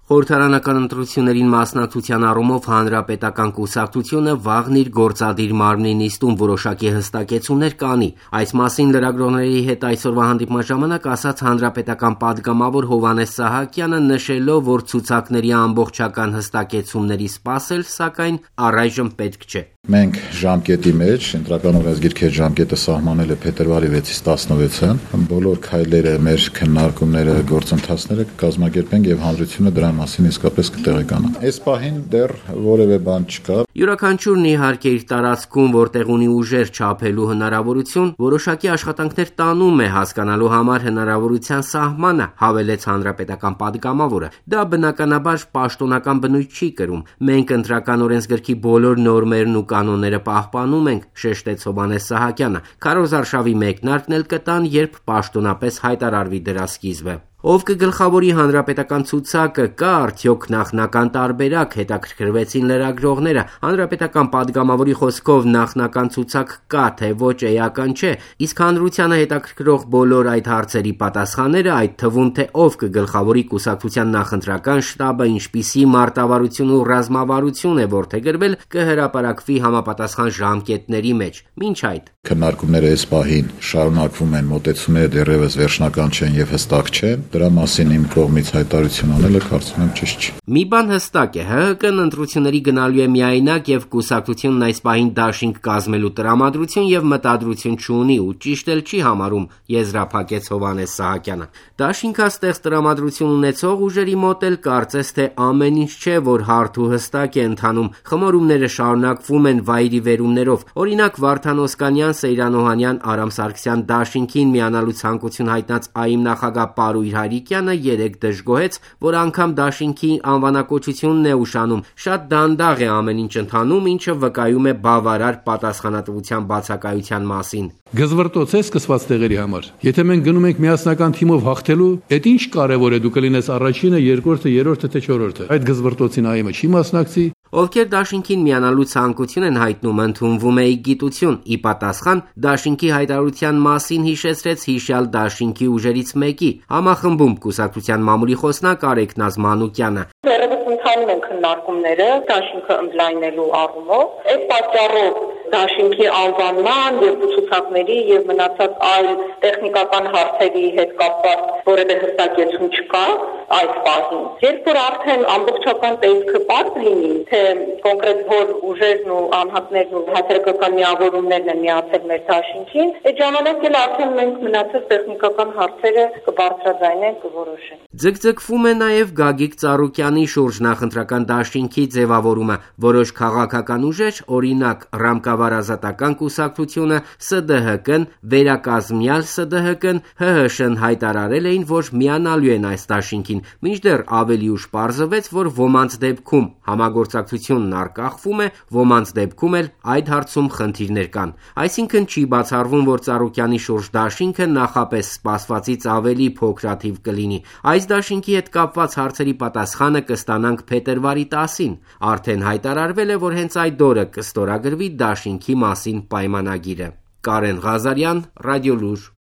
Խորհրդարանական ընտրություններին մասնակցության առումով հանրապետական կուսակցությունը վաղն իր գործադիր մարմնի նիստում որոշակի հստակեցումներ կանի։ Այս մասին լրագրողների հետ այսօրվա հանդիպման ժամանակ ասաց հանրապետական պատգամավոր Հովհաննես Սահակյանը, նշելով, որ ցուցակների ամբողջական հստակեցումների սպասել, սակայն առայժմ պետք չէ։ Մենք ժամկետի մեջ, ընտրական օրենսգիրքի ժամկետը սահմանել է փետրվարի 6-ից 16-ը, բոլոր քայլերը, մեր քննարկումները, գործընթացները կկազմակերպենք եւ հանրությունը դրան մասին իսկապես կտեղեկանա։ Այս պահին դեռ որևէ բան չկա։ Յուրաքանչյուրն իհարկե իր տարածքում, որտեղ ունի ուժեր չափելու հնարավորություն, որոշակի աշխատանքներ տանում է հասկանալու համար հնարավորության սահմանը, հավելեց հանրապետական պատգամավորը։ Դա բնականաբար պաշտոնական բնույթ չի կրում։ Մենք ընտրական օրենսգրքի բոլոր նորմերն ու կանոնները պահպանում ենք, շեշտեց Հովհաննես Սահակյանը։ Քարոզարշավի մեկնարկն էլ կտան, երբ պաշտոնապես հայտարարվի դրա սկիզբը։ Ով կգլխավորի հանրապետական ցուցակը, կա արդյոք նախնական տարբերակ, հետաքրքրվեցին լրագրողները։ Հանրապետական պատգամավորի խոսքով նախնական ցուցակ կա, թե ոչ էական չէ, իսկ հանրությանը հետաքրքրող բոլոր այդ հարցերի պատասխանները, այդ թվում թե ով կգլխավորի կուսակցության նախընտրական շտաբը, ինչպիսի մարտավարություն ու ռազմավարություն է որդեգրվել, կհրապարակվի համապատասխան ժամկետների մեջ։ Մինչ այդ քննարկումները այս պահին շարունակվում են, մոտեցումները դեռևս վերջնական չեն եւ հստակ չեն։ Դրա մասին իմ կողմից հայտարարություն անելը կարծում եմ ճիշտ չէ։ Մի բան հստակ է, ՀՀԿ-ն ընտրությունների գնալու է միայնակ եւ կուսակցությունն այս պահին դաշինք կազմելու տրամադրություն եւ մտադրություն չունի ու ճիշտ էլ չի համարում, եզրափակեց Հովհաննես Սահակյանը։ Դաշինքաստեղծ տրամադրություն ունեցող ուժերի մոտ էլ կարծես թե ամեն ինչ չէ, որ հարթ ու հստակ է ընթանում։ Խմորումները շարունակվում են վայրիվերումներով։ Օրինակ Վարդան Օսկանյան, Սեյրան Օհանյան, Արամ Սարգսյան դաշինքին միանալու ցանկություն հայտնած ԱԻՄ նախագահ Պարույր Հայրիկյանը երեկ դժգոհեց, որ անգամ դաշինքի անվանակոչությունն է ուշանում։ Շատ դանդաղ է ամեն ինչ ընթանում, ինչը վկայում է բավարար պատասխանատվության բացակայության մասին։ Գզվրտոց է սկսված տեղերի համար։ Եթե մենք գնում ենք միասնական թիմով հաղթելու, այդ ինչ կարևոր է դու կլինես առաջինը, երկրորդը, երրորդը թե չորրորդը։ Այդ գզվրտոցին ԱԻՄ-ը չի մասնակցի։ Ովքեր դաշինքին միանալու ցանկություն են հայտնում, ընդունվում է գիտություն։ Ի պատասխան դաշինքի հայտարարության մասին հիշեցրեց հիշյալ դաշինքի ուժերից մեկի, համախմբում կուսակցության մամուլի խոսնակ Արեգնազ Մանուկյանը։ Դեռևս ընթանում են քննարկումները դաշինքը ընդլայնելու առումով։ Այդ պատճառով դաշինքի անվանման եւ ցուցակների եւ մնացած այլ տեխնիկական հարցերի հետ կապված որևէ հստակեցում չկա այս պահին։ Երբ որ արդեն ամբողջական տեսքը բաց լինի, թե կոնկրետ որ ուժերն ու անհատներն ու հասարակական միավորումներն են միացել մեր դաշինքին, այդ ժամանակ էլ արդեն մենք մնացած տեխնիկական հարցերը կբարձրաձայնենք, կորոշենք։ Ձգձգվում է նաև Գագիկ Ծառուկյանի շուրջ նախընտրական դաշինքի ձևավորումը։ Որոշ քաղաքական ուժեր, օրինակ Ռամկավար-Ազատական կուսակցությունը, ՍԴՀԿ-ն, վերակազմյալ ՍԴՀԿ-ն, ՀՀՇ-ն հայտարարել էին, որ միանալու են այս դաշինքին, մինչդեռ ավելի ուշ պարզվեց, որ ոմանց դեպքում համագործակցությունն արկախվում է, ոմանց դեպքում էլ այդ հարցում խնդիրներ կան։ Այսինքն չի բացառվում, որ Ծառուկյանի շուրջ դաշինքը նախապես սպասվածից ավելի փոքրաթիվ կլինի։ Այս դաշինքի հետ կապված հարցերի պատասխանը կստանանք փետրվարի 10-ին։ Արդեն հայտարարվել է, որ հենց այդ օրը կստորագրվի դաշինքի մասին պայմանագիրը։ Կարեն Ղազարյան, Ռադիոլուր։